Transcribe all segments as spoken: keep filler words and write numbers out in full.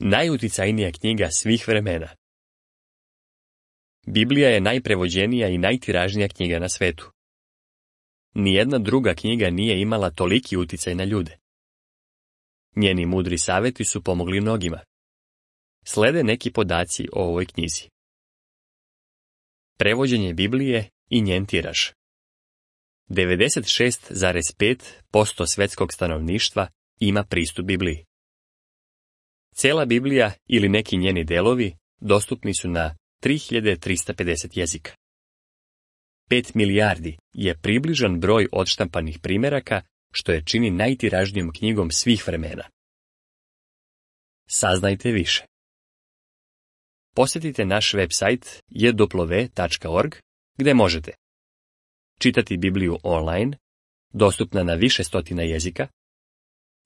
najuticajnija knjiga svih vremena. Biblija je najprevođenija i najtiražnija knjiga na svetu. Nijedna druga knjiga nije imala toliki uticaj na ljude. Njeni mudri savjeti su pomogli mnogima. Slede neki podaci o ovoj knjizi. Prevođenje Biblije i njen tiraž. devedeset šest zarez pet posto svjetskog stanovništva ima pristup Bibliji. Cijela Biblija ili neki njeni delovi dostupni su na tri hiljade trista pedeset jezika. pet milijardi je približan broj odštampanih primjeraka, što je čini najtiražnijom knjigom svih vremena. Saznajte više. Posjetite naš website j w tačka org gdje možete čitati Bibliju online, dostupna na više stotina jezika,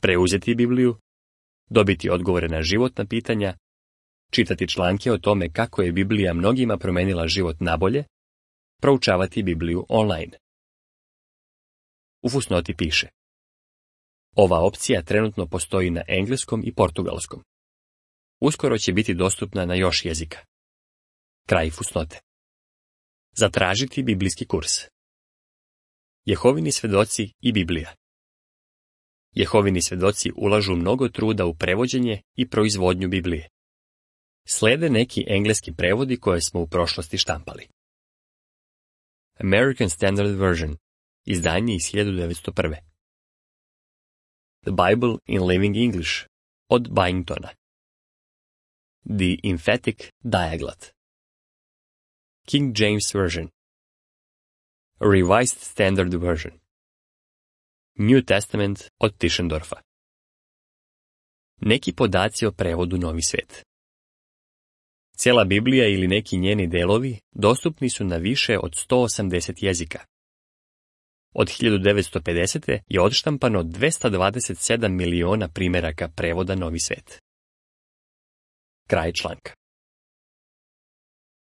preuzeti Bibliju, dobiti odgovore na životna pitanja, čitati članke o tome kako je Biblija mnogima promenila život nabolje, proučavati Bibliju online. U fusnoti piše: ova opcija trenutno postoji na engleskom i portugalskom. Uskoro će biti dostupna na još jezika. Kraj fusnote. Zatražiti biblijski kurs. Jehovini svjedoci i Biblija. Jehovini svjedoci ulažu mnogo truda u prevođenje i proizvodnju Biblije. Slede neki engleski prevodi koje smo u prošlosti štampali. American Standard Version, izdanje iz hiljadu devetsto prve. The Bible in Living English, od Byingtona. The Emphatic Dialect. King James Version. Revised Standard Version. New Testament od Tischendorfa. Neki podaci o prevodu Novi svijet. Cijela Biblija ili neki njeni delovi dostupni su na više od sto osamdeset jezika. Od hiljadu devetsto pedesete. je odštampano dvesta dvadeset sedam miliona primjeraka prevoda Novi svijet. Kraj članka.